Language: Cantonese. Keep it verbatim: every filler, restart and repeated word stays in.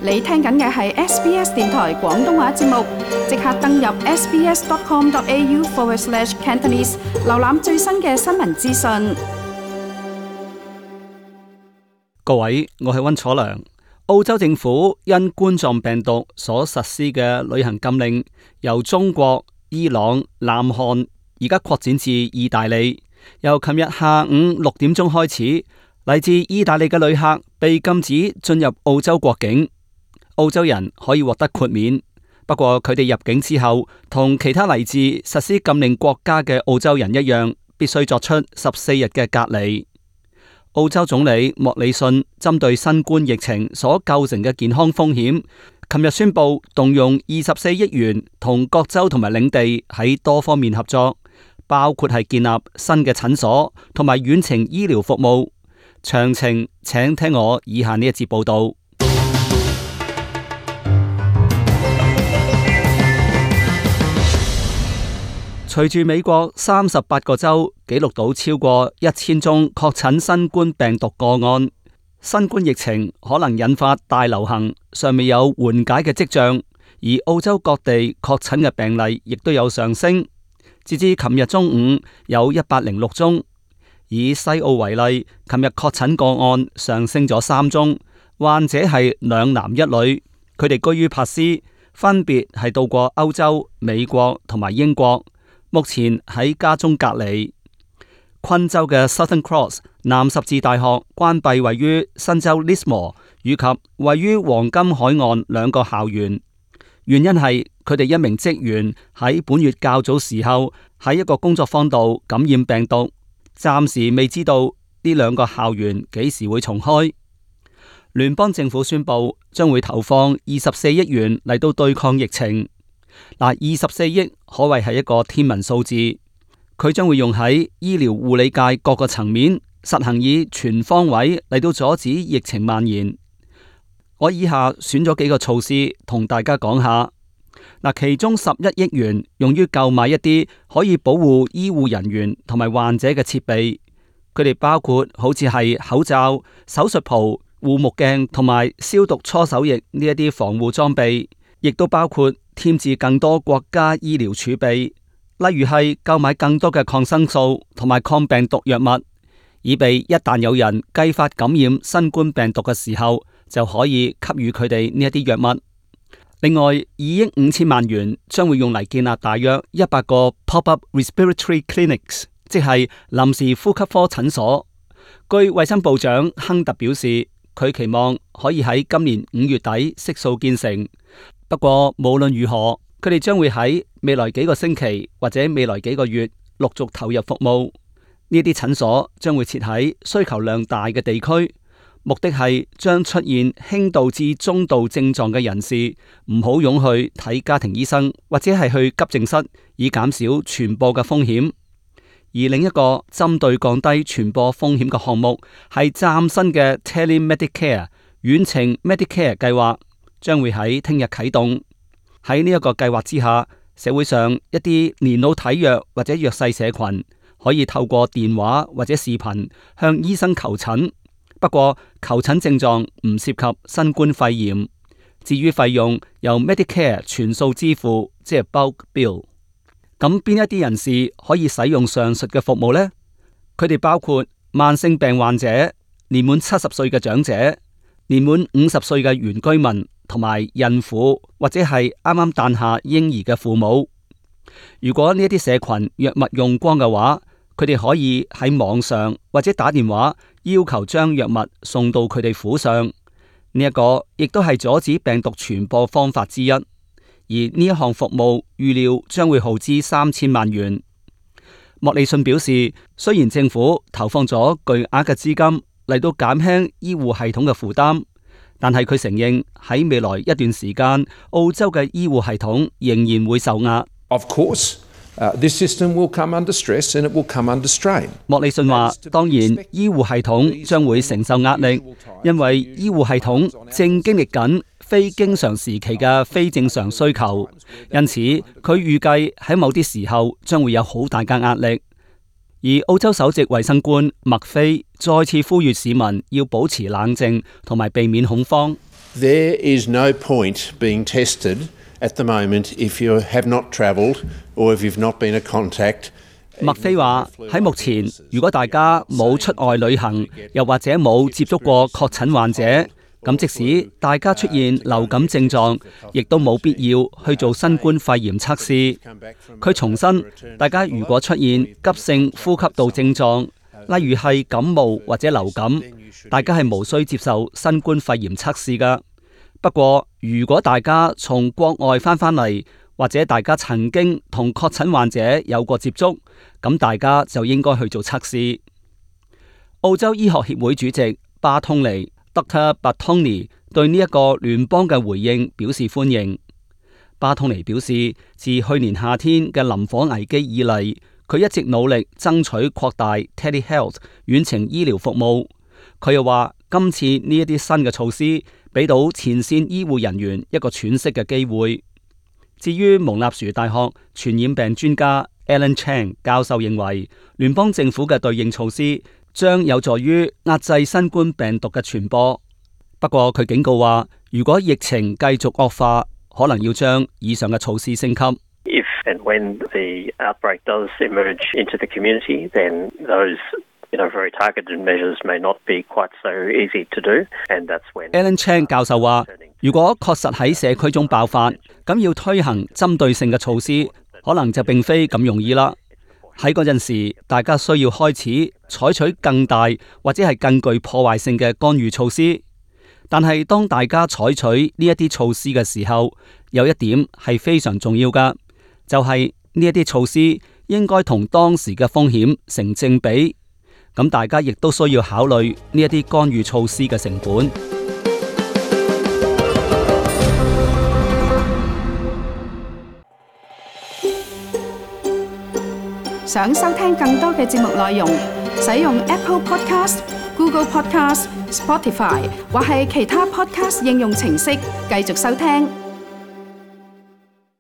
你聽緊嘅係 S B S 電台廣東話節目，即刻登入 sbs.com.au forward slash Cantonese， 瀏覽最新嘅新聞資訊。各位，我係溫楚良。澳洲政府因冠狀病毒所實施嘅旅行禁令，由中國、伊朗、南韓而家擴展至意大利。由琴日下午六點鐘開始，嚟自意大利嘅旅客被禁止進入澳洲國境。澳洲人可以獲得豁免，不過佢哋入境之後，同其他嚟自實施禁令國家嘅澳洲人一樣，必須作出十四日嘅隔離。澳洲總理莫里遜針對新冠疫情所構成嘅健康風險，琴日宣布動用二十四億元同各州同埋領地喺多方面合作，包括係建立新嘅診所同埋遠程醫療服務。詳情請聽我以下呢一節報道。隨住美國三十八個州記錄到超過一千宗確診新冠病毒個案，新冠疫情可能引發大流行，尚未有緩解嘅跡象。而澳洲各地確診嘅病例亦都有上升，截至琴日中午有一百零六宗。以西澳為例，琴日確診個案上升咗三宗，患者係兩男一女，佢哋居於珀斯，分別係到過歐洲、美國同埋英國。目前喺家中隔離。昆州嘅 Southern Cross 南十字大學關閉位於新州 Lismore 以及位於黃金海岸兩個校園，原因係佢哋一名職員喺本月較早時候喺一個工作坊度感染病毒，暫時未知道呢兩個校園幾時會重開。聯邦政府宣布將會投放二十四億元嚟到對抗疫情。嗱，二十四億可謂係一個天文數字，佢將會用喺醫療護理界各個層面，實行以全方位嚟到阻止疫情蔓延。我以下選咗幾個措施同大家講下。嗱，其中十一億元用於購買一啲可以保護醫護人員同埋患者嘅設備，佢哋包括好似係口罩、手術袍、護目鏡同埋消毒搓手液呢一啲防護裝備，亦都包括添置更多國家醫療儲備，例如係購買更多嘅抗生素同埋抗病毒藥物，以備一旦有人繼發感染新冠病毒嘅時候，就可以給予佢哋呢一啲藥物。另外，二億五千萬元將會用嚟建立大約一百個 pop-up respiratory clinics， 即係臨時呼吸科診所。據衛生部長亨特表示，佢期望可以喺今年五月底悉數建成。不過無論如何，佢哋將會喺未來幾個星期或者未來幾個月陸續投入服務。呢啲診所將會設喺需求量大嘅地區，目的係將出現輕度至中度症狀嘅人士唔好湧去睇家庭醫生或者係去急症室，以減少傳播嘅風險。而另一個針對降低傳播風險嘅項目係嶄新嘅 Tele-Medicare 遠程 Medicare 計劃。將會喺聽日啟動。喺呢一個計劃之下，社會上一啲年老體弱或者弱勢社群可以透過電話或者視頻向醫生求診。不過求診症狀唔涉及新冠肺炎。至於費用由 Medicare 全數支付，即係 bulk bill。咁邊一啲人士可以使用上述嘅服務呢？佢哋包括慢性病患者、年滿七十歲嘅長者、年滿五十歲嘅原居民，同埋孕婦或者係啱啱誕下嬰兒嘅父母。如果呢一啲社群藥物用光嘅話，佢哋可以喺網上或者打電話要求將藥物送到佢哋府上。呢一個亦都係阻止病毒傳播方法之一。而呢一項服務預料將會耗資三千萬元。莫里遜表示，雖然政府投放咗巨額嘅資金嚟到減輕醫護系統嘅負擔，但係佢承認喺未來一段時間，澳洲嘅醫護系統仍然會受壓。Of course, uh, this system will come under stress and it will come under strain. 莫里遜話：當然，醫護系統將會承受壓力，因為醫護系統正經歷緊非經常時期嘅非正常需求，因此佢預計喺某啲時候將會有好大嘅壓力。而澳洲首席衛生官麥菲再次呼籲市民要保持冷靜同埋避免恐慌。There is no point being tested at the moment if you have not travelled or if you've not been a contact. 麥菲話：喺目前，如果大家冇出外旅行，又或者冇接觸過確診患者，咁即使大家出現流感症狀，亦都冇必要去做新冠肺炎測試。佢重申，大家如果出現急性呼吸道症狀，例如係感冒或者流感，大家係無需接受新冠肺炎測試㗎。不過，如果大家從國外返返嚟，或者大家曾經同確診患者有過接觸，咁大家就應該去做測試。澳洲醫學協會主席巴通尼 Doctor Bartoni 對呢一個聯邦嘅回應表示歡迎。巴通尼表示，自去年夏天嘅林火危機以嚟，佢一直努力爭取擴大 Telehealth 遠程醫療服務。佢又話，今次呢一啲新嘅措施，俾到前線醫護人員一個喘息嘅機會。至於蒙納殊大學傳染病專家 Alan Chang 教授認為，聯邦政府嘅對應措施將有助於壓制新冠病毒嘅傳播。不過佢警告話，如果疫情繼續惡化，可能要將以上嘅措施升級。If and when the outbreak does emerge into the community, then those You know, very targeted measures may not be quite so easy to do, and that's when Alan Chang 教授話，如果確實喺社區中爆發，咁要推行針對性嘅措施，可能就並非咁容易啦。喺嗰陣時，大家需要開始採取更大或者係更具破壞性嘅干預措施。但係當大家採取呢一啲措施嘅時候，有一點係非常重要㗎，就係呢一啲措施應該同當時嘅風險成正比。咁大家亦都需要考慮呢一啲干預措施嘅成本。想收聽更多嘅節目內容，使用 Apple Podcast、Google Podcast、Spotify 或係其他 Podcast 應用程式繼續收聽。